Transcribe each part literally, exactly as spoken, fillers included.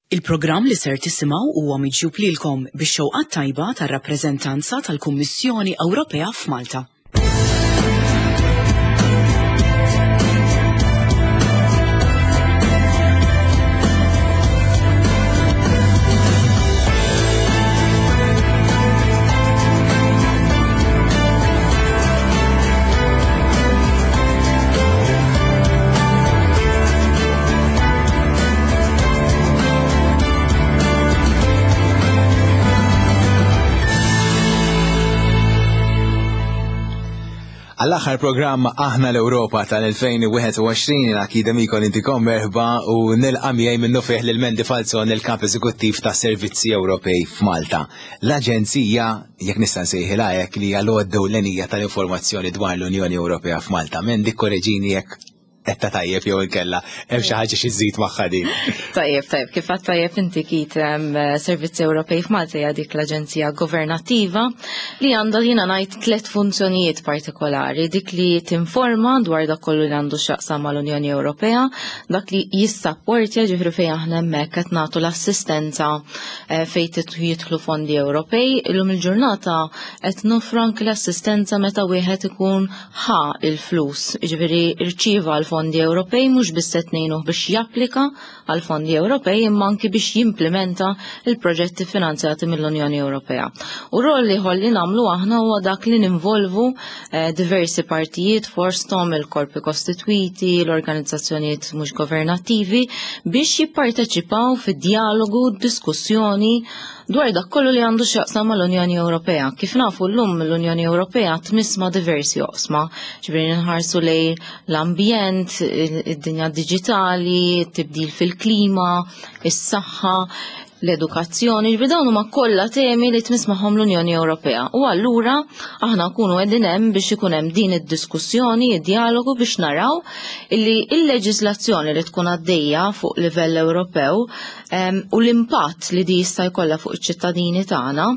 Il-programm li ser tisimgħu huwa miġjub lilkom bix-xewqa tajba tar-rappreżentanza tal-Kummissjoni Ewropea f'Malta. Għall-aħħar programm Aħna l-Ewropa tal-elfejn u wieħed u għoxrin akida mikol intikom merħba u nilqa' miegħi minnu fih lil Mandy Falzon, il-kap eżekuttiv ta' Servizzi Ewropej f'Malta. L-aġenzija, jekk nista' nsejħilha hekk, li hija l-għodda ewlenija tal-informazzjoni dwar l-Unjoni Ewropea f'Malta. Mandy, korreġini jekk qed tajjeb jew inkella hemm xi ħaġa xi żżid magħha din. Tajjeb, tajjeb, kif għad tajjeb inti Kit, em, Servizzi Ewropej f'Malta hija dik l-aġenzija governattiva li għandha jiena ngħid tliet funzjonijiet partikolari, dik li tinforma dwar dak kollu li għandu x'jaqsam mal-Unjoni Ewropea, dak li jissapportja, ġifieri fejn aħna hemmhekk qed nagħtu l-assistenza, eh, fejn titħu jidħlu fondi Ewropej. Illum il-ġurnata qed nofru anke l-assistenza meta wieħed ikun ħa il-flus, ġifieri rċieva l-fondi Ewropej, mhux biss qed ngħinuh biex japplika għal fondi Ewropej imma anki biex jimplementa il-proġetti finanzjati mill-Unjoni Ewropea. U rol li ħolli nagħmlu aħna huwa dak li ninvolvu, eh, diversi partijiet, forsthom il-korpi kostitwiti, l-organizzazzjonijiet mhux governattivi, biex jipparteċipaw fid-dialogu, diskussjoni dwar dak kollu li għandu x'jaqsam mal-Unjoni Ewropea. Kif nafu llum l-Unjoni Ewropea tmiss ma' diversi oqsma, ġifieri nħarsu lejn l-ambjent, id-dinja diġitali, it-tibdil fil-klima, is-saħħa, l-edukazzjoni, ġifieri dawn huma kollha temi li tmiss magħhom l-Unjoni Ewropea. U allura aħna nkunu qegħdin hemm biex ikun hemm din id-diskussjoni, id-dialogu biex naraw illi il-leġiżlazzjoni li tkun għaddejja fuq livell Ewropew, em, u l-impatt li di jista' jkollha fuq iċ-ċittadini tagħna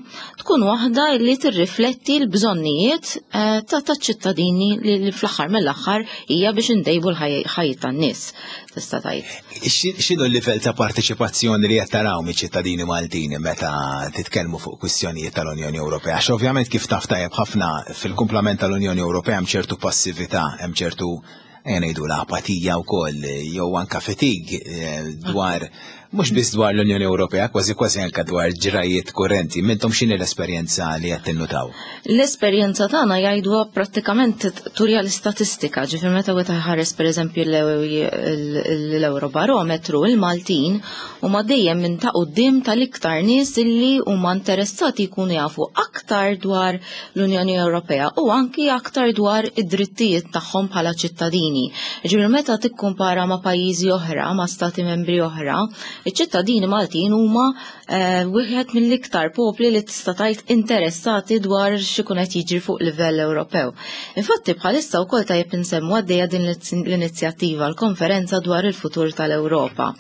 tkun waħda li tirrifletti l-bżonnijiet, eh, ta' taċ-ċittadini li, li fl-aħħar mill-aħħar hija biex indejbu l-ħajja tan-nies, tista' tgħid. Xi-, x'inhu l-livell ta' parteċipazzjoni li qed taraw miċ-ċittadini Maltin meta titkellmu fuq kwistjonijiet tal-Unjoni Ewropea? Għax ovvjament kif taf tajjeb ħafna fil-kumplament tal-Unjoni Ewropea hemm ċertu passività, hemm ċertu, ejja ngħidu, l-apatija wkoll, jew anka fetig, eh, dwar mhux biss dwar l-Unjoni Ewropea, kważi kważi anka dwar ġrajiet kurrenti. Mintom x'inhi l-esperjenza li qed tinnutaw? L-esperjenza tagħna jgħiduha prattikament turja l-istatistika, ġifieri meta wieħed ħares pereżempju l-Eurobarometru, il-Maltin huma dejjem minn ta' quddiem tal-iktar nies illi huma interessati jkunu jafu aktar dwar l-Unjoni Ewropea u anki aktar dwar id-drittijiet tagħhom bħala ċittadini. Ġifieri meta tikkumpara ma' pajjiżi oħra, ma' stati membri oħra, iċ-ċittadini Maltin huma, eh, wieħed mill-iktar popli li tista' tgħid interessati dwar x'ikun qed jiġri fuq livell Ewropew. Infatti bħalissa wkoll tajjeb insemmu għaddejja din l-inizjattiva, l-konferenza dwar il-futur tal-Ewropa.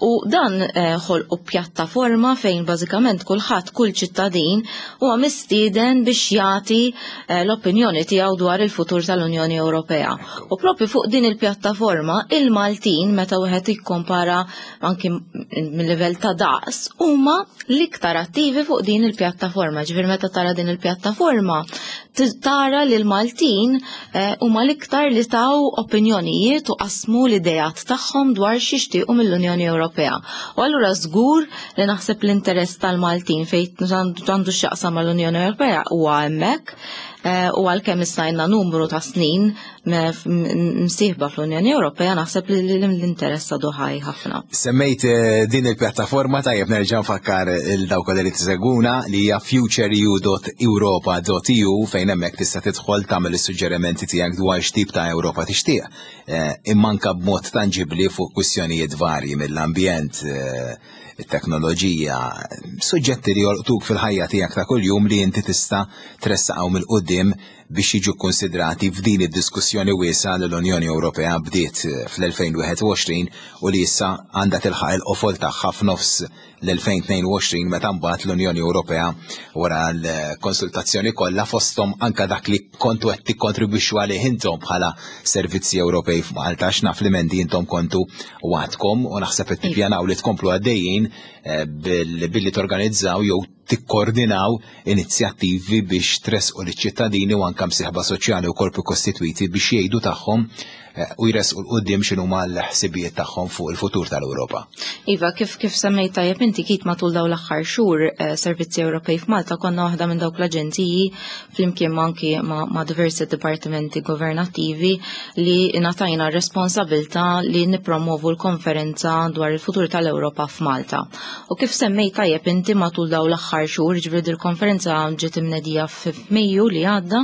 U dan, eh, ħolqu pjattaforma fejn bażikament kulħadd, kull ċittadin huwa mistieden biex jagħti, eh, l-opinjoni tiegħu dwar il-futur tal-Unjoni Ewropea. U propju fuq din il-pjattaforma il-Maltin meta wieħed jikkompara anki mill-livell ta' daqs huma l-iktar attivi fuq din il-pjattaforma. Ġifieri meta tara din il-pjattaforma t-, tara li l-Maltin, eh, huma l-iktar li taw opinjonijiet u qasmu l-idejat tagħhom dwar x'jixtiequ mill-Unjoni Ewropea. U allura żgur li naħseb l-interess tal-Maltin fejn għandu x'jaqsam mal-Unjoni Ewropea huwa hemmhekk, eh, u għalkemm issa għandna numru ta' snin me-, f-, m-, msieħba fl-Unjoni Ewropea, naħseb li l-interess għadu ħaj ħafna. Semmejt, eh, din il-pjattaforma, tajjeb nerġa' nfakkar il dawk li tisegwuna li hija futureu dot europa dot e u fejn hemmhekk tista' tidħol tagħmel is-suġġerimenti tiegħek dwar x'tip ta' Ewropa tixtieq. Eh, imma anke b'mod tanġibbli fuq kwistjonijiet varji mill-ambjent, eh, it-teknoloġija, suġġetti li jolqtuk fil-ħajja tiegħek ta' kuljum li inti tista' tressaqgħu mill-quddiem Biex jiġu konsidrati f'din id-diskussjoni wiesgħa li l-Unjoni Ewropea bdiet fl-elfejn u wieħed u għoxrin u li issa għandha tilħaq il-qofol tagħha f'nofs l-elfejn u tnejn u għoxrin, meta mbagħad l-Unjoni Ewropea, wara l-konsultazzjoni kollha, fosthom anka dak li kontu qed tikkontribwixxu għalih intom bħala Servizzi Ewropej f'Malta, għax naf li mendi intom kontu għadkom u naħseb qed tippjanaw li tkomplu għaddejjin eh, billi torganizzaw jew tikkoordinaw inizjattivi biex tressqu liċ-ċittadini u anka msieħba soċjali u korpi kostitwiti biex jgħidu tagħhom eh, u jressqu 'l quddiem x'inhuma l-ħsibijiet tagħhom fuq il-futur tal-Ewropa. Iva, kif kif semmejt tajjeb inti, Kit, matul daw l-aħħar xhur eh, Servizzi Ewropej f'Malta konna waħda minn dawk l-aġenziji, flimkien anki ma', ma diversi dipartimenti governattivi, li ngħatajna responsabilità li nippromovu l-konferenza dwar il-futur tal-Ewropa f'Malta. U kif semmejt tajjeb inti, matul daw l-aħħar xhur, ġifieri il-konferenza ġiet imnedija f'Mejju li għadda,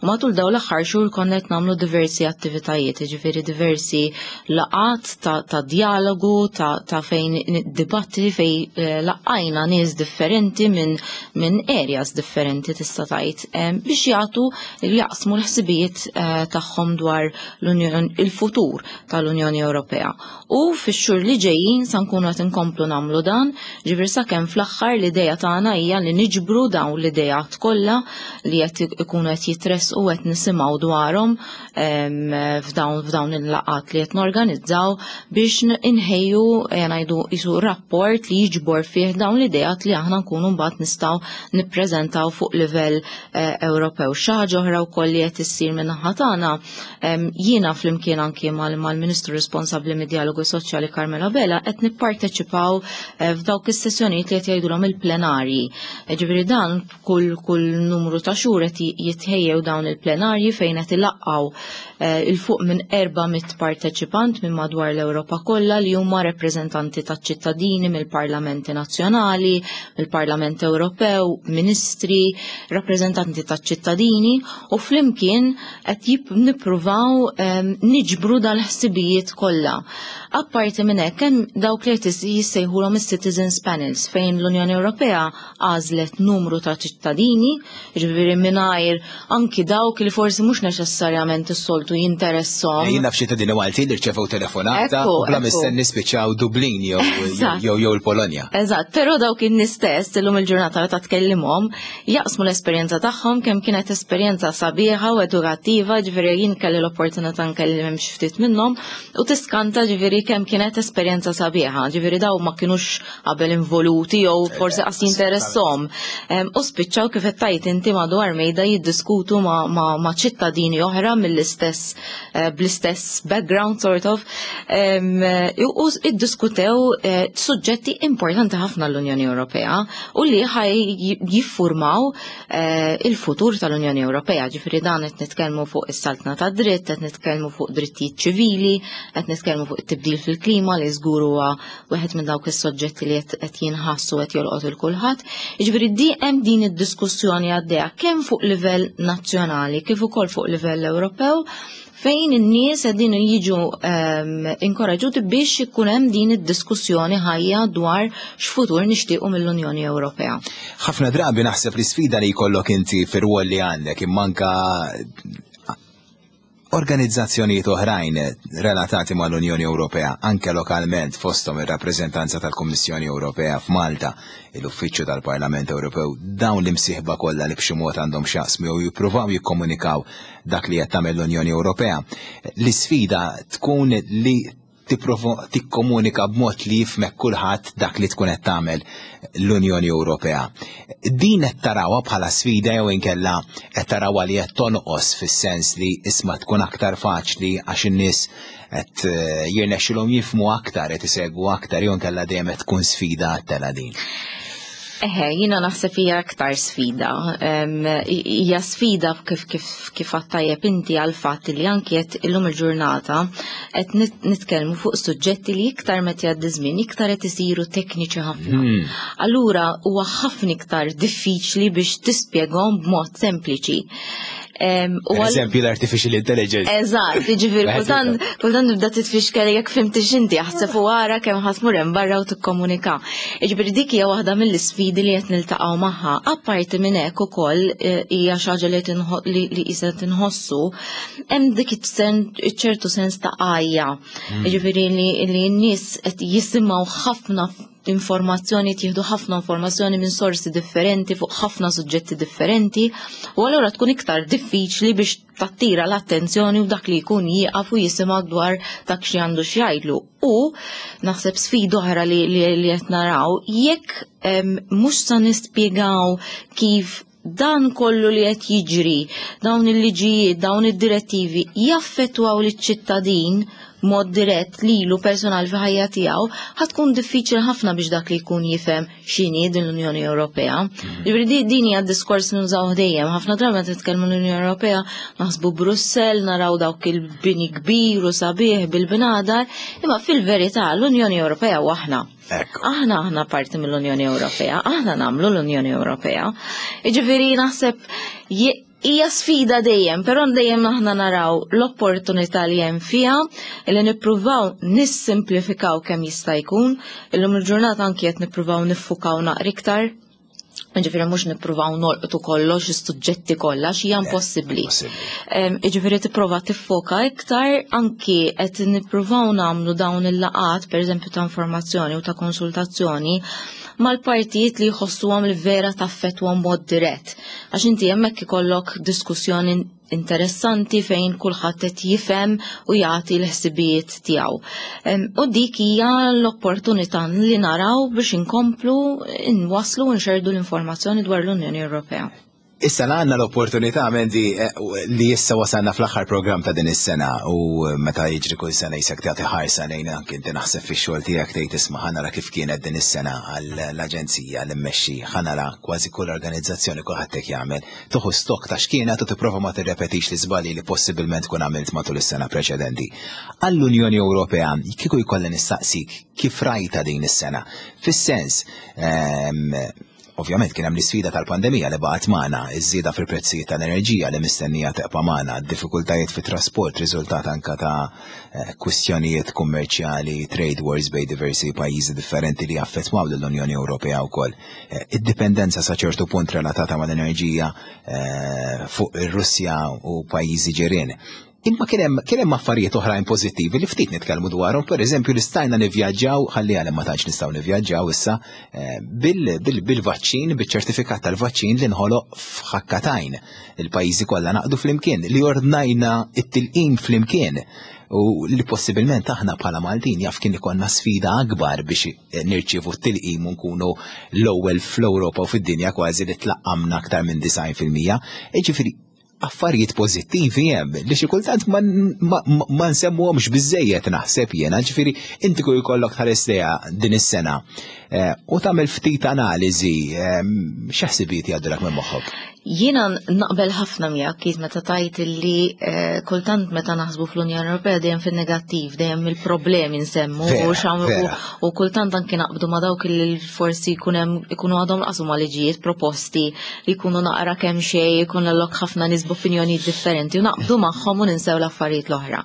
u matul daw l-aħħar xhur konna qed nagħmlu diversi attivitajiet, ġifieri diversi laqgħat ta', ta dialogu, ta', ta' fejn dibattiti fejn eh, laqajna nies differenti minn min areas differenti, tista' tgħid, eh, biex jagħtu, jaqsmu l-ħsibijiet eh, tagħhom dwar l-Unjon, il-futur tal-Unjoni Ewropea. U fix-xhur li ġejjin sa nkunu qed inkomplu nagħmlu dan, ġifieri sakemm fl-aħħar l-idea tagħna hija li niġbru dawn l-ideat kollha li qed ikunu qed jitressqu, qed nisimgħu dwarhom f'dawn f'dawn il-laqgħat li qed norganizzaw, biex inħejju, ngħidu, isu rapport li jiġbor fih dawn l-ideat li aħna nkunu mbagħad nistgħu nippreżentaw fuq livell eh, Ewropew. Xi ħaġa oħra wkoll li qed issir minn naħa tagħna, jiena flimkien anki mal-Ministru responsabbli mid-dialogu soċjali Carmelo Abela qed nipparteċipaw eh, f'dawk is-sessjonijiet li qed jgħidulhom il-plenarji. Eh, ġifieri dan kull kull numru ta' xhur qed jitħejjew dawn il-plenarji fejn qed ilaqqgħu 'il fuq minn erba' mitt parteċipant minn madwar l-Ewropa kollha li huma rappreżentanti taċ-ċittadini, mill-parlamenti nazzjonali, mill-Parlament Ewropew, ministri, rappreżentanti taċ-ċittadini, u flimkien qed nippruvaw ehm, niġbru dal-ħsibijiet kollha. Apparti minn hekk, hemm dawk li qed jissejħulhom is-citizens panels, fejn l-Unjoni Ewropea għażlet numru ta' ċittadini, ġifieri mingħajr anki dawk li forsi mhux neċessarjament is-soltu jinteressom. Jien naf ċittadini Maltin li rċevew telefonata u bla mistenni spiċċaw Dublin jew jew jew il-Polonja. Eżatt, però dawk in-nies stess illum il-ġurnata meta tkellimhom jaqsmu l-esperjenza tagħhom, kemm kienet esperjenza sabiħa u edukattiva. Ġifieri jien kelli l-opportunità nkellem xi ftit minnhom u tiskanta, ġifieri, kemm kienet esperjenza sabiħa, ġifieri daw ma kinux qabel involuti jew forsi qas jinteressom. U spiċċaw, kif qed tgħid inti, madwar mejda jiddiskutu ma', ma, ma ċittadini oħra mill-istess eh, bl-istess background sort of u iddiskutew eh, suġġetti importanti ħafna l-Unjoni Ewropea u li ħaj jiffurmaw eh, il-futur tal-Unjoni Ewropea. Ġifieri dan qed nitkellmu fuq is-saltna ta' dritt, qed nitkellmu fuq drittijiet ċivili, qed nitkellmu fuq it-tibdil fil-klima li żgur huwa wieħed minn dawk is-soġġetti li qed jinħassu qed jolqot il kulħadd. Jiġifieri di hemm din id-diskussjoni għaddejja kemm fuq livell nazzjonali kif ukoll fuq livell Ewropew, fejn in-nies qegħdin jiġu um, inkoraġuti biex ikun hemm din id-diskussjoni ħajja dwar x'futur nixtiequ mill-Unjoni Ewropea. Ħafna drabi naħseb li sfida li jkollok inti fir-rwol li għandek, imma anka organizzazzjonijiet oħrajn relatati mal-Unjoni Ewropea, anke lokalment, fosthom ir-rappreżentanza tal-Kummissjoni Ewropea f'Malta, l-Uffiċċju tal-Parlament Ewropew, dawn l-imsieħba kollha li b'xi mod għandhom x'jaqsmu jew jippruvaw jikkomunikaw dak li qed tagħmel l-Unjoni Ewropea. L-isfida tkun li tipprova tikkomunika b'mod li jifhmek kulħadd dak li tkun qed tagħmel l-Unjoni Ewropea. Din qed tarawha bħala sfida jew inkella qed tarawha li qed tonqos, fis-sens li isma' tkun aktar faċli għax in-nies qed eh, jirnexxilhom jifhmu aktar, qed isegwu aktar, jew inkella dejjem qed tkun sfida għat din? Eħe, jina naħseb hija aktar sfida. Hija sfida kif kif kif tajjeb inti għal fatt li anki qed illum il-ġurnata qed nitkellmu fuq suġġetti li iktar meta jgħaddi żmien iktar qed isiru tekniċi ħafna. Hmm. Allura huwa ħafna iktar diffiċli biex tispjegahom b'mod sempliċi. U Eżempju l-artificial intelligence. Eżatt, jiġifieri kultant kultant nibda titfixkel jekk fhimtix inti, aħseb u ara kemm ħa tmur hemm barra u tikkomunika. Jiġifieri dik hija waħda mill-isfidi li qed niltaqgħu magħha. Apparti minn hekk ukoll eh, hija xi ħaġa li li li qisha tinħossu, hemm dik ċertu sens ta' għajja. Hmm. Jiġifieri li n-nies qed jisimgħu ħafna informazzjoni, tieħdu ħafna informazzjoni minn sorsi differenti fuq ħafna suġġetti differenti u allura tkun iktar diffiċli biex tattira l-attenzjoni u dak li jkun jieqaf u jisimgħu dwar dak xi għandu x'jgħidlu. U naħseb sfida oħra li li qed naraw, jekk mhux sa nispjegaw kif dan kollu li qed jiġri, dawn il-liġijiet, dawn id-direttivi jaffettwaw liċ-ċittadin mod dirett lilu personal fi ħajja tiegħu, ħa tkun diffiċli ħafna biex dak li jkun jifhem x'inhi din l-Unjoni Ewropea. Mm. Jiġifieri din hija diskors nużaw dejjem. Ħafna drabi meta titkellmu l-Unjoni Ewropea naħsbu Brussell, naraw dawk il-bini kbir u sabiħ bil-bnadar, imma fil-verità l-Unjoni Ewropea u aħna. Aħna aħna parti mill-Unjoni Ewropea, aħna nagħmlu l-Unjoni Ewropea. Jiġifieri naħseb hija sfida dejjem, però dejjem aħna naraw l-opportunità li hemm fiha li nippruvaw nissimplifikaw kemm jista' jkun. Illum il-ġurnata anki qed nippruvaw niffukaw naqra iktar. Ġifieri mhux nippruvaw nolqtu kollox, is-suġġetti kollha, x'hija impossibbli. Ġifieri tipprova tiffoka iktar, anki qed nippruvaw nagħmlu dawn il-laqat, pereżempju ta' informazzjoni u ta' konsultazzjoni mal-partijiet li jħossuhom li vera taffettwahom mod dirett. Għax inti hemmhekk ikollok diskussjoni interessanti fejn kulħadd qed jifhem u jagħti l-ħsibijiet tiegħu. U dik hija l-opportunità li naraw biex inkomplu nwasslu u nxerdu l-informazzjoni dwar l-Unjoni Ewropea. Issa għandna l-opportunità, Mandy, eh, li issa wasalna fl-aħħar program ta' din is-sena u meta jiġri kull sena jisek tagħti ħarsa lejn, anke inti naħseb fix-xogħol tiegħek tgħid, "Isma', ħa nara kif kienet din is-sena għall-aġenzija li mmexxi, ħa nara kważi kull organizzazzjoni, kulħadd hekk jagħmel." Tieħu stok ta' x'kienet u tipprova ma tirrepetix l-iżbalji li possibilment tkun għamilt matul is-sena preċedenti. Għall-Unjoni Ewropea, kieku jkolli nistaqsik kif rajta din is-sena? Fis-sens, ehm, ovvjament kien hemm l-isfida tal-pandemija li baqgħet magħna, iż-żieda fil-prezzijiet tal-enerġija li mistennija tibqa' magħna, diffikultajiet fit-trasport riżultat anka ta' eh, kwistjonijiet kummerċjali, trade wars bejn diversi pajjiżi differenti li affettwaw lill-Unjoni Ewropea wkoll. Eh, id-dipendenza sa ċertu punt relatata mal-enerġija eh, fuq ir-Russja u pajjiżi ġirien. Imma kien hemm kien hemm affarijiet oħrajn pożittivi li ftit nitkellmu dwarhom, pereżempju li stajna nivvjaġġaw, ħalli għalhem ma tantx nistgħu nivvjaġġaw issa, eh, bil-vaċċin, biċ-ċertifikat tal-vaċċin li nħoloq f'ħakka t'għajn. Il-pajjiżi kollha naqdu flimkien, li ordnajna it-tilqim flimkien u li possibilment aħna bħala Maltin jaf kien ikollna sfida akbar biex nirċievu t-tilqim u nkunu l-ewwel fl-Ewropa u fid-dinja kważi li tlaqqamna aktar minn disgħin fil-mija. Jiġifieri affarijiet pożittivi hemm li xi kultant ma, ma, ma nsemmuhomx biżejjed, naħseb jiena. Ġifieri inti kull jkollok tħares lejha din is-sena eh, u tagħmel ftit analiżi, eh, x'ħsibijiet jgħaddulek minn moħħok? Jiena naqbel ħafna miegħek kif meta tajt li eh, kultant meta naħsbu fl-Unjoni Ewropea dejjem fin-negattiv, dejjem il-problemi nsemmu u u kultant anke naqbdu ma dawk li forsi jkun hemm ikunu għadhom laqsu ma liġijiet proposti li jkunu naqra kemm xejn ikun lok ħafna nies b'opinjonijiet differenti u naqbdu magħhom u ninsew l-affarijiet l-oħra.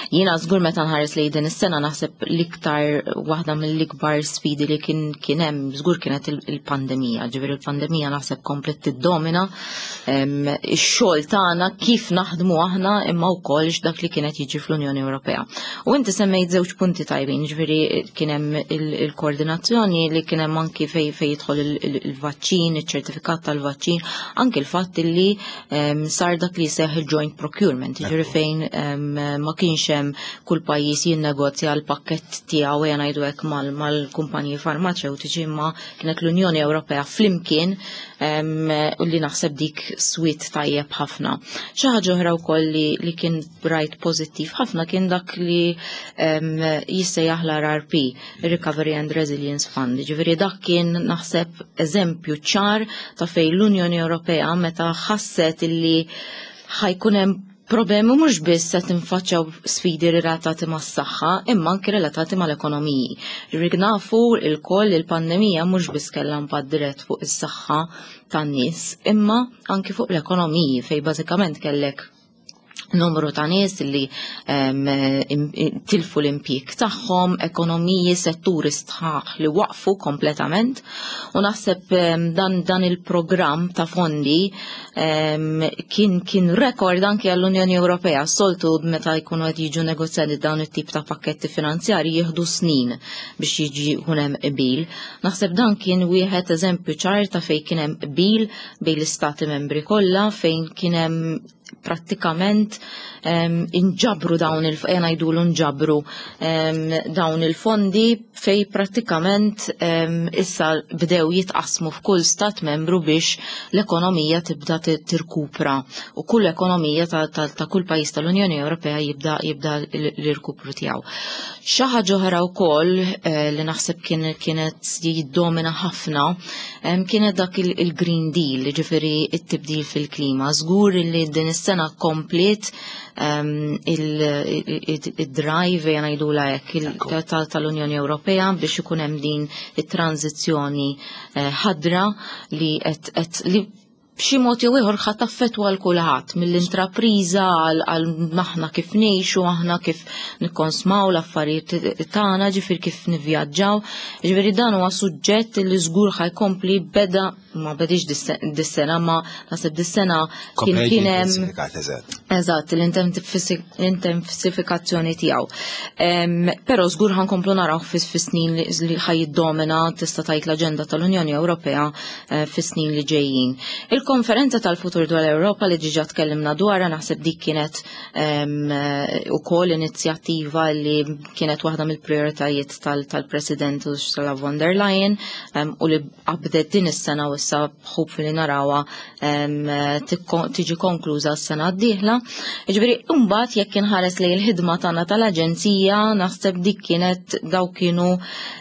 Jiena żgur meta nħares lejn din is-sena naħseb l-iktar waħda mill-ikbar sfidi li kien kien hemm żgur kienet il-pandemija. Ġifieri il-pandemija naħseb komplet tiddomina ix-xogħol tagħna, kif naħdmu aħna, imma wkoll dak li kienet jiġi fl-Unjoni Ewropea. U inti semmejt żewġ punti tajbin, ġifieri kien hemm il-koordinazzjoni li kien hemm anki fej fej jidħol il-vaċċin, iċ-ċertifikat tal-vaċċin, anki l-fatt li sar dak li seħ il-joint procurement, ġifieri fejn ma kienx hemm kull pajjiż jinnegozja l-pakkett tiegħu, ejja ngħidu hekk, mal-kumpaniji farmaceutiċi, imma kienet l-Unjoni Ewropea flimkien, u li naħseb dik swiet tajjeb ħafna. Xi ħaġa oħra wkoll li, li kien rajt pożittiv ħafna kien dak li jissejjaħ l-R R P, Recovery and Resilience Fund. Ġifieri dak kien naħseb eżempju ċar ta' fejn l-Unjoni Ewropea meta ħasset illi ħa jkun hemm problemi mhux biss se tinfaċċaw sfidi relatati mas-saħħa, imma anki relatati mal-ekonomiji. Ġifieri nafu lkoll il-pandemija mhux biss kellha impatt dirett fuq is-saħħa tan-nies, imma anki fuq l-ekonomiji, fejn bażikament kellek numru ta' nies li tilfu l-impjieg tagħhom, ekonomiji, setturi sħaħ li waqfu kompletament, u naħseb dan, dan il-programm ta' fondi kien, kien rekord anke għall-Unjoni Ewropea. Soltu meta jkunu qed jiġu negozjati dawn it-tip ta' pakketti finanzjarji jieħdu snin biex jiġi hemm qbil. Naħseb dan kien wieħed eżempju ċar ta' fejn kien hemm qbil bejn l-istati membri kollha, fejn kien hemm prattikament inġabru dawn il ngħidulu nġabru dawn il-fondi, fejn prattikament issa bdew jitqasmu f'kull stat membru biex l-ekonomija tibda tirkupra u kull ekonomija ta', ta, ta kull pajjiż tal-Unjoni Ewropea jibda jibda l-irkupru tiegħu. Xi ħaġa oħra wkoll eh, li naħseb kien kienet jiddomina ħafna kienet dak il-Green Deal, ġifieri it-tibdil fil-klima. Żgur li din is-sena kompliet il-drive, ngħidula hekk, tal-Unjoni Ewropea biex ikun hemm din it-tranzizzjoni eh, ħadra li qed li b'xi mod jew ieħor ħa taffettwa l kulħadd, mill-intrapriża għal aħna kif ngħixu, aħna kif nikkonsmaw l-affarijiet tagħna, ġifier kif nivvjaġġaw. Ġifieri dan huwa suġġett li żgur ħa jkompli, beda, ma bedix dis-sena, ma naħseb dis-sena kien kien hemm eżatt l-intensifikazzjoni tiegħu. Però żgur ħa nkomplu naraw fis-snin li ħa jiddomina, tista' tgħid, l-aġenda tal-Unjoni Ewropea eh, fis-snin li ġejjin. Il-konferenza tal-futur dwar l-Ewropa li diġà tkellimna dwarha, naħseb dik kienet ukoll inizjattiva li kienet waħda mill-prioritajiet tal-President Ursula von der Leyen u li qabdet din is-sena u issa hopefully narawha tiġi konkluża s-sena d-dieħla. Ġifieri mbagħad jekk inħares lejn il-ħidma tagħna tal-aġenzija, naħseb dik kienet daw kienu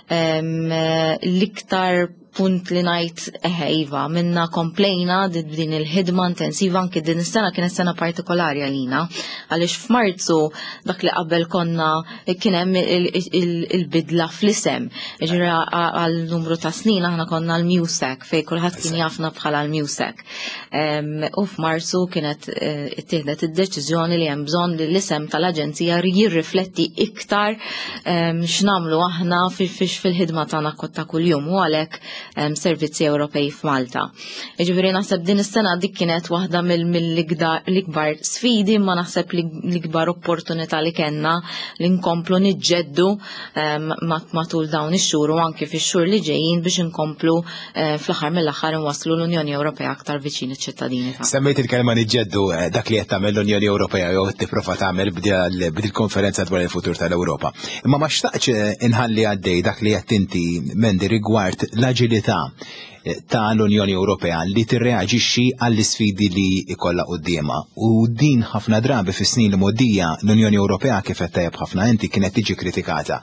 l-iktar punt li ngħid eħe iva, minna komplejna din il-ħidma intensiva. Anki din is-sena kienet sena partikolari għalina, għaliex f'Marzu dak li qabel konna kien hemm il-bidla fl-isem. Ġifieri għal numru ta' snin aħna konna l-MEUSAC, fejn kulħadd kien jafna bħala l-MEUSAC. U f'Marzu kienet eh, ittieħdet id-deċiżjoni li hemm bżonn li l-isem tal-aġenzija jirrifletti iktar x'nagħmlu aħna fil-ħidma tagħna ta' kuljum, u għalhekk Servizzi Ewropej f'Malta. Ġifieri naħseb din is-sena dik kienet waħda mill-ikbar sfidi, ma naħseb l-ikbar opportunità li kellna li nkomplu niġġeddu matul dawn ix-xhur u anki fix-xhur li ġejjin biex inkomplu eh, fl-aħħar mill-aħħar nwasslu l-Unjoni Ewropea aktar viċin iċ-ċittadini. Semmejt il-kelma niġġeddu, eh, dak li qed tagħmel l-Unjoni Ewropea jew tipprova tagħmel b'dil-konferenza dwar il-futur tal-Ewropa. Imma ma xtaqx inħalli għaddej dak li qed inti, Mendi, rigward l-aġilità ta' l-Unjoni Ewropea li tirreaġixxi għall-isfidi li ikollha quddiemha. U din ħafna drabi fis-snin li mgħoddija l-Unjoni Ewropea, kif qed tajjeb ħafna inti, kienet tiġi kritikata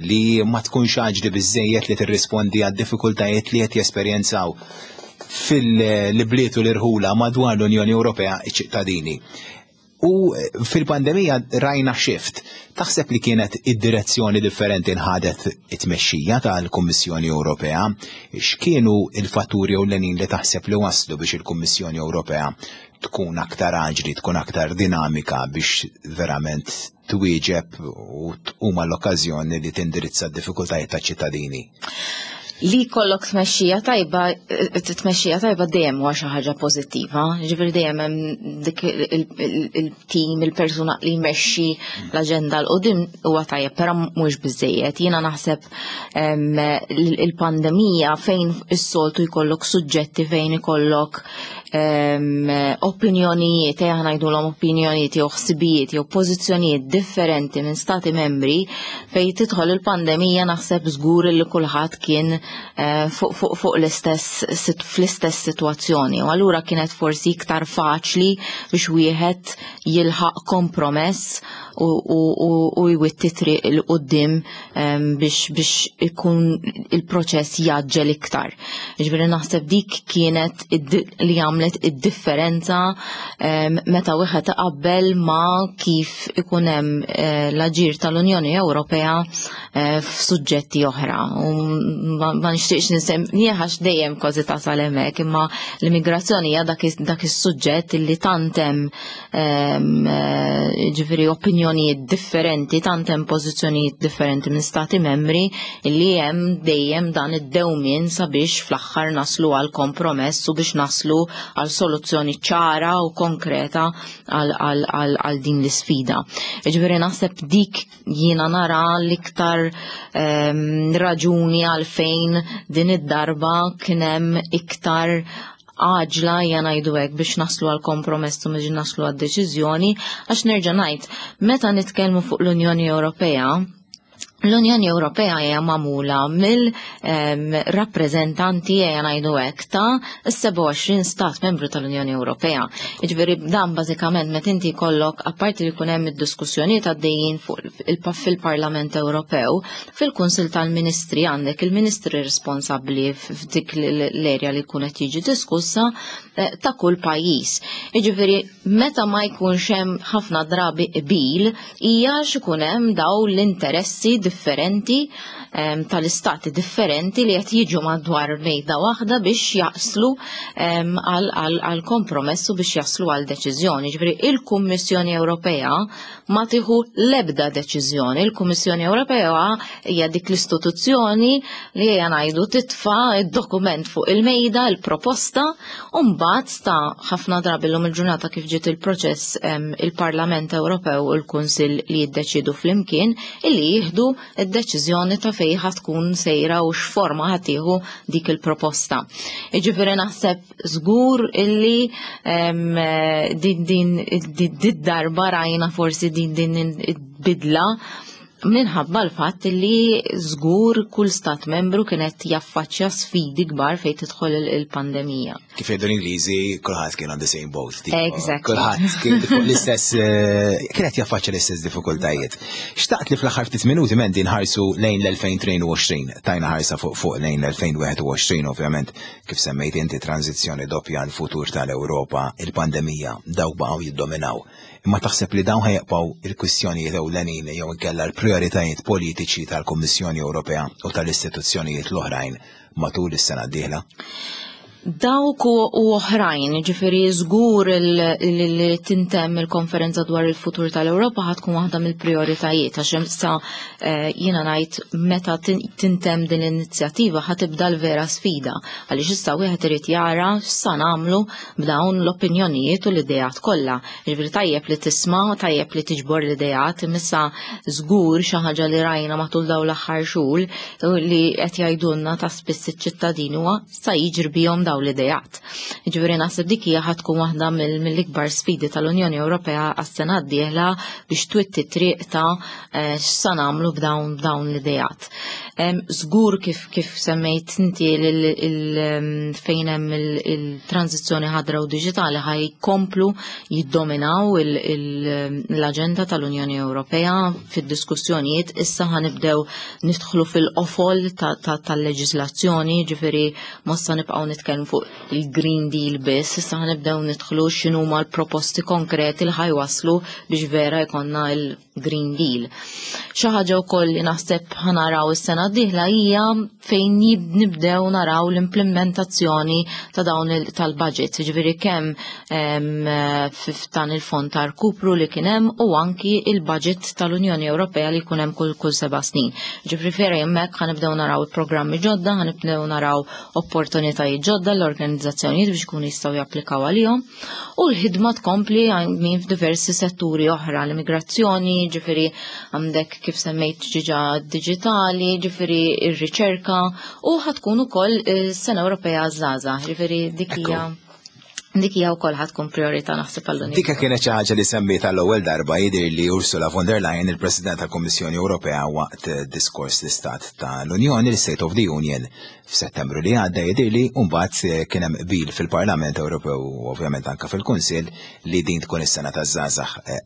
li ma tkunx aġli biżejjed li tirrispondi għad-diffikultajiet li qed jesperjenzaw fil-bliet u l-irħula madwar l-Unjoni Ewropea iċ-ċittadini. U fil-pandemija rajna shift. Taħseb li kienet id-direzzjoni differenti nħadet it-tmexxija tal-Kummissjoni Ewropea? X'kienu il-fatturi ewlenin li taħseb li waslu biex il-Kummissjoni Ewropea tkun aktar aġli, tkun aktar dinamika biex verament twieġeb u tqum l-okkażjoni li tindirizza d-diffikultajiet taċ-ċittadini? Li jkollok tmexxija tajba, tmexxija tajba dejjem huwa xi ħaġa pożittiva. Ġifieri dejjem hemm dik il-tim, il-persuna li jmexxi l-aġenda 'l quddiem huwa tajjeb, però mhux biżejjed. Jiena naħseb il-pandemija, fejn is-soltu jkollok suġġetti fejn ikollok opinjonijiet, ejja ngħidulhom opinjonijiet jew ħsibijiet jew pożizzjonijiet differenti minn stati membri, fejn tidħol il-pandemija naħseb żgur li kulħadd kien eh, fuq fuq fuq l-istess sit- fl-istess sitwazzjoni. U allura kienet forsi iktar faċli biex wieħed jilħaq kompromess u, u, u, u jwitti triq 'il quddiem em, biex, biex ikun il-proċess jgħaġġel iktar. Ġifieri naħseb dik kienet id- li għamlet id-differenza em, meta wieħed iqabbel ma kif ikun hemm eh, l-aġir tal-Unjoni Ewropea eh, f'suġġetti oħra. U ma ma nixtieqx nsemmi għax dejjem kważi tasal hemmhekk, imma l-immigrazzjoni hija dak is- dak is-suġġett illi tant hemm em, eh, ġifieri opinjonijiet differenti, tant hemm pożizzjonijiet differenti minn stati membri illi hemm dejjem dan id-dewmien sabiex fl-aħħar naslu għal kompromess u biex naslu għal soluzzjoni ċara u konkreta għal, għal, għal, għal din l-isfida. Ġifieri naħseb dik jiena nara l-iktar em, raġuni għalfejn din id-darba kien hemm iktar għaġla ejja ngħidu hekk biex naslu għal kompromess u biex naslu għal deċiżjoni, għax nerġa' ngħid, meta nitkellmu fuq l-Unjoni Ewropea, l-Unjoni Ewropea hija magħmula mill-rappreżentanti, ejja ngħidu hekk, ta' sebgħa u għoxrin stat membru tal-Unjoni Ewropea. Jiġifieri dan bażikament meta inti jkollok, apparti li jkun hemm id-diskussjonijiet għaddejjin fuq il- fil-Parlament Ewropew, fil-Kunsill tal-Ministri għandek il-ministri responsabbli f'dik l-erja li jkun qed jiġi diskussa eh, ta' kull pajjiż. Jiġifieri meta ma jkunx hemm ħafna drabi qbil hija x'ikun hemm daw l-interessi differenti em, tal-istati differenti li qed jiġu madwar mejda waħda biex jaslu em, għal għal kompromess u biex jaslu għal deċiżjoni. Ġifieri il-Kummissjoni Ewropea ma tieħu l-ebda deċiżjoni. Il-Kummissjoni Ewropea hija dik l-istituzzjoni li hija ngħidu titfa' id-dokument fuq il-mejda, il-proposta, u mbagħad sta ħafna drabi llum il-ġurnata kif ġiet il-proċess em, il-Parlament Ewropew u l-Kunsill li jiddeċidu flimkien illi jieħdu id-deċiżjoni ta' fejn ħa tkun sejra u x'forma ħa tieħu dik il-proposta. Jiġifieri naħseb żgur illi em, din din din darba rajna forsi din din il-bidla minħabba l-fatt li żgur kull stat membru kienet jaffaċċja sfidi kbar fejn tidħol il-pandemija. Kif jgħidu l-Ingliżi, kulħadd kien on the same boat. Tipo, Exactly. kulħadd kien fuq l-istess, eh, kienet jaffaċċja l-istess diffikultajiet. Xtaqt li fl-aħħar ftit minuti, Mandy, nħarsu lejn l-elfejn u tnejn u għoxrin, tajna ħarsa fuq fuq lejn l-elfejn u wieħed u għoxrin, ovvjament, kif semmejt inti, tranzizzjoni doppja, l-futur tal-Ewropa, il-pandemija, dawk baqgħu jiddominaw. Imma taħseb li dawn ħa jibqgħu il-kwistjonijiet ewlenin jew inkella l-prioritajiet politiċi tal-Kummissjoni Ewropea u tal-istituzzjonijiet l-oħrajn matul is-sena d-dieħla? Dawk u u oħrajn, ġifieri żgur li tintemm il-konferenza dwar il-futur tal-Ewropa ħa tkun waħda mill-prioritajiet, għax issa eh, jiena ngħid meta tintemm din l-inizjattiva ħa tibda l-vera sfida, għaliex issa wieħed irid jara x'sa nagħmlu b'dawn l-opinjonijiet u l-ideat kollha. Ġifieri tajjeb li tisma', tajjeb li tiġbor l-ideat, imma żgur xi ħaġa li rajna matul dawn l-aħħar xhur li qed jgħidulna ta' spiss iċ-ċittadini huwa sa jiġri bihom dawn l-ideat. Ġifieri naħseb dik hija ħa tkun waħda mill-ikbar sfidi tal-Unjoni Ewropea għas-sena d-dieħla biex twitti triq ta' eh, x'sa nagħmlu b'dawn b'dawn l-ideat. Żgur kif kif semmejt inti fejn hemm il-tranzizzjoni ħadra u diġitali ħa jkomplu jiddominaw l-aġenda tal-Unjoni Ewropea fid-diskussjonijiet. Issa ħa nibdew nidħlu fil-qofol tal-leġiżlazzjoni, ġifieri mhux sa nibqgħu nitkellmu fuq il-Green Deal biss, issa ħa nibdew nidħlu x'inhuma l-proposti konkreti li ħa jwasslu biex vera jkollna il-Green Deal. Xi ħaġa wkoll li naħseb ħa naraw is-sena d-dieħla hija fejn nibdew naraw l-implementazzjoni ta' dawn tal-budget, ġifieri kemm f'dan il-fond ta' rkupru li kien hemm u anki il-budget tal-Unjoni Ewropea li jkun hemm kull kull seba' snin. Ġifieri vera hemmhekk ħa nibdew naraw il-programmi ġodda, ħa nibdew naraw opportunitajiet ġodda l-organizzazzjonijiet biex ikunu jistgħu japplikaw għalihom u l-ħidma tkompli minn f'diversi setturi oħra, l-immigrazzjoni, ġifieri għandek kif semmejt diġà digitali, ġifieri ir-riċerka u ħa tkun ukoll is-Sena Ewropea Żgħażagħ, ġifieri dik hija Dik hija wkoll ħa tkun priorità naħseb għall-Unjoni. Dika kienet xi ħaġa li semmiet għall-ewwel darba jidher li Ursula von der Leyen, il-President tal-Kummissjoni Ewropea, waqt diskors l-Istat tal-Unjoni, l-State of the Union, f'Settembru li għadda jidher li, u mbagħad kien hemm qbil fil-Parlament Ewropew u ovvjament anke fil-Kunsill li din tkun is-sena taż-żgħażagħ.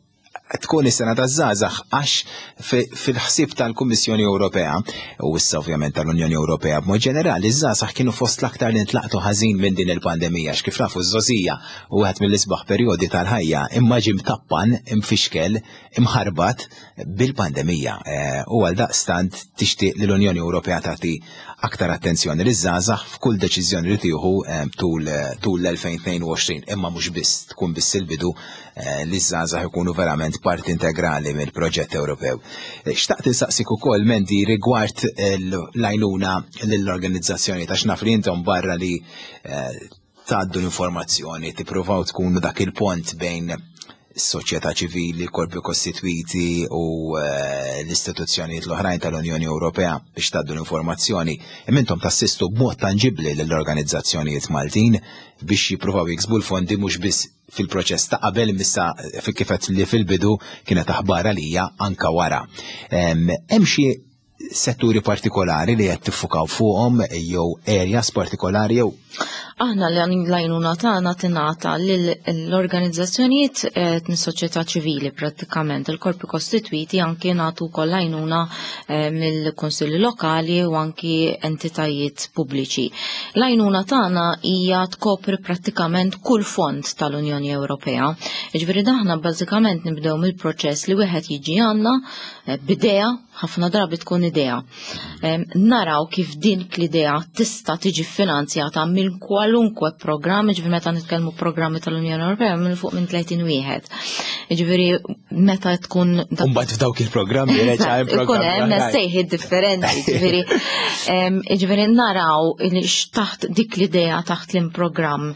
Tkun is-sena taż-żgħażagħ għax fil-ħsieb tal-Kummissjoni Ewropea u issa ovvjament tal-Unjoni Ewropea b'mod ġenerali, iż-żgħażagħ kienu fost l-aktar li ntlaqtu ħażin minn din il-pandemija, x'kif nafu ż-żgħożija u wieħed mill-isbaħ perjodi tal-ħajja, imma ġie mtappan, imfixkel, imħarbat bil-pandemija. U għal daqstant tixtieq li l-Unjoni Ewropea tagħti aktar attenzjoni liż-żgħażagħ f'kull deċiżjoni li tieħu tul tul l-elfejn tnejn u għoxrin, imma mhux biss, tkun biss il-bidu li ż-żgħażagħ ikunu verament parti integrali mill-proġett Ewropew. Xtaqt insaqsik ukoll, Mandy, rigward l-għajnuna lill-organizzazzjoni, ta' x'naf li intom barra li tgħaddu l-informazzjoni, tippruvaw tkunu dak il-pont bejn soċjetà ċivili, korpi kostitwiti u l-istituzzjonijiet l-oħrajn tal-Unjoni Ewropea biex tgħaddu l-informazzjoni. Imma intom tassistu b'mod tanġibli lill-organizzazzjonijiet Maltin biex jippruvaw jiksbu l-fondi, mhux biss fil-proċess ta' qabel missa fi kifet li fil-bidu kienet aħbar għalija, anka wara. Hemm xi setturi partikolari li qed tiffukaw fuqhom jew areas partikolari jew Aħna li l-għajnuna tagħna tingħata l-organizzazzjonijiet eh, mis-soċjetà ċivili prattikament, il-korpi kostitwiti, anki nagħtu wkoll għajnuna eh, mill-kunsilli lokali u anki entitajiet pubbliċi. L-għajnuna tagħna hija tkopri prattikament kull fond tal-Unjoni Ewropea. Jiġifieri aħna bażikament nibdew mill-proċess li wieħed jiġi għandna eh, b'idea, ħafna drabi tkun idea. Naraw kif din l-idea tista' tiġi finanzjata minn kwalunkwe programm, ġifieri meta nitkellmu programmi tal-Unjoni Ewropea minn fuq minn tletin wieħed. Ġifieri meta tkun Umbagħad f'dawk il-programmi reġa' hemm programmi. Ikun hemm sejħiet differenti, ġifieri ġifieri naraw taħt dik l-idea taħt l-programm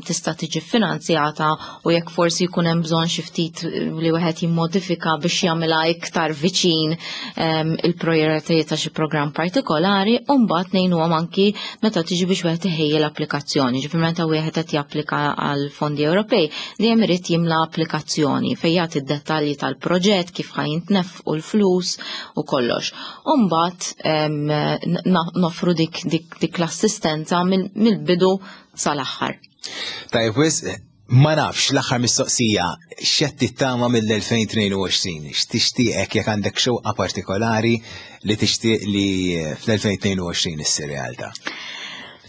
tista' tiġi finanzjata u jekk forsi jkun hemm bżonn xi ftit li wieħed jimmodifika biex jagħmilha iktar viċin il-prijoritajiet ta' xi programm partikolari, u mbagħad ngħinuhom anki meta tiġi biex wieħed iħejji l-applikazzjoni. Ġifieri meta wieħed qed japplika għal fondi Ewropej, dejjem irid jimla applikazzjoni fejn jagħti d-dettalji tal-proġett, kif ħa jintnefqu l-flus u kollox. U mbagħad nofru dik, dik, dik l-assistenza mill-bidu sal-aħħar. Tajjeb, wisq, ma nafx, l-aħħar mistoqsija, x'qed tittama mill-elfejn tnejn u għoxrin? X'tixtieqek, jekk għandek xewqa partikolari li tixtieq li fl-elfejn tnejn u għoxrin issir realtà?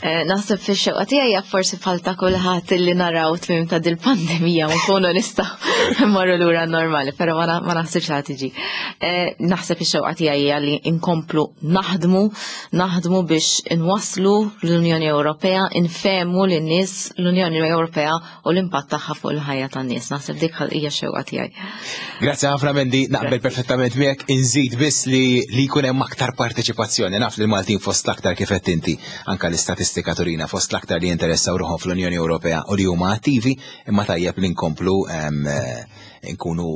Eh, naħseb fix-xewqa tiegħi hija forsi bħal ta' kulħadd li naraw tmiem ta' dil-pandemija u nkunu nistgħu mmorru lura normali, però ma naħsibx ħa tiġi. Eh, naħseb ix-xewqa tiegħi hija li nkomplu naħdmu, naħdmu biex inwasslu l-Unjoni Ewropea, infehmu lin-nies l-Unjoni Ewropea u l-impatt tagħha fuq il-ħajja tan-nies. Naħseb dik hija x-xewqa tiegħi. Grazzi ħafna, Mandy, naqbel perfettament miegħek, inżid biss li li jkun hemm aktar parteċipazzjoni. Naf li l-Maltin fost l-aktar, kif qed inti, anka l-istatistika turina, fost l-aktar li jinteressaw ruħhom fl-Unjoni Ewropea u li huma attivi, imma tajjeb li nkomplu eh, nkunu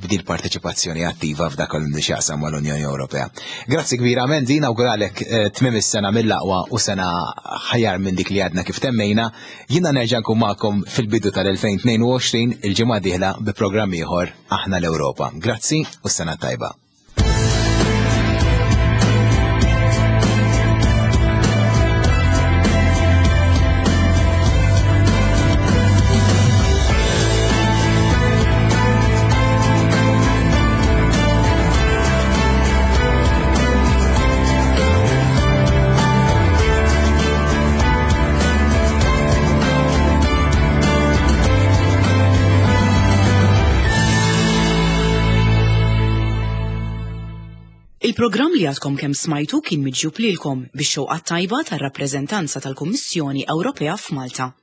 b'dil parteċipazzjoni attiva f'dak li x'jaqsam mal-Unjoni Ewropea. Grazzi kbira, Mandy, nawguralek eh, tmiem is-sena mill-aqwa u sena aħjar minn dik li għadna kif temmejna. Jiena nerġa' nkun magħkom fil-bidu tal-elfejn tnejn u għoxrin il-ġimgħa dieħla bi programm ieħor Aħna l-Ewropa. Grazzi u sena tajba. Il-programm li għadkom kemm smajtu kien miġjub lilkom bix-xewqa tajba tar-rappreżentanza tal-Kummissjoni Ewropea f'Malta.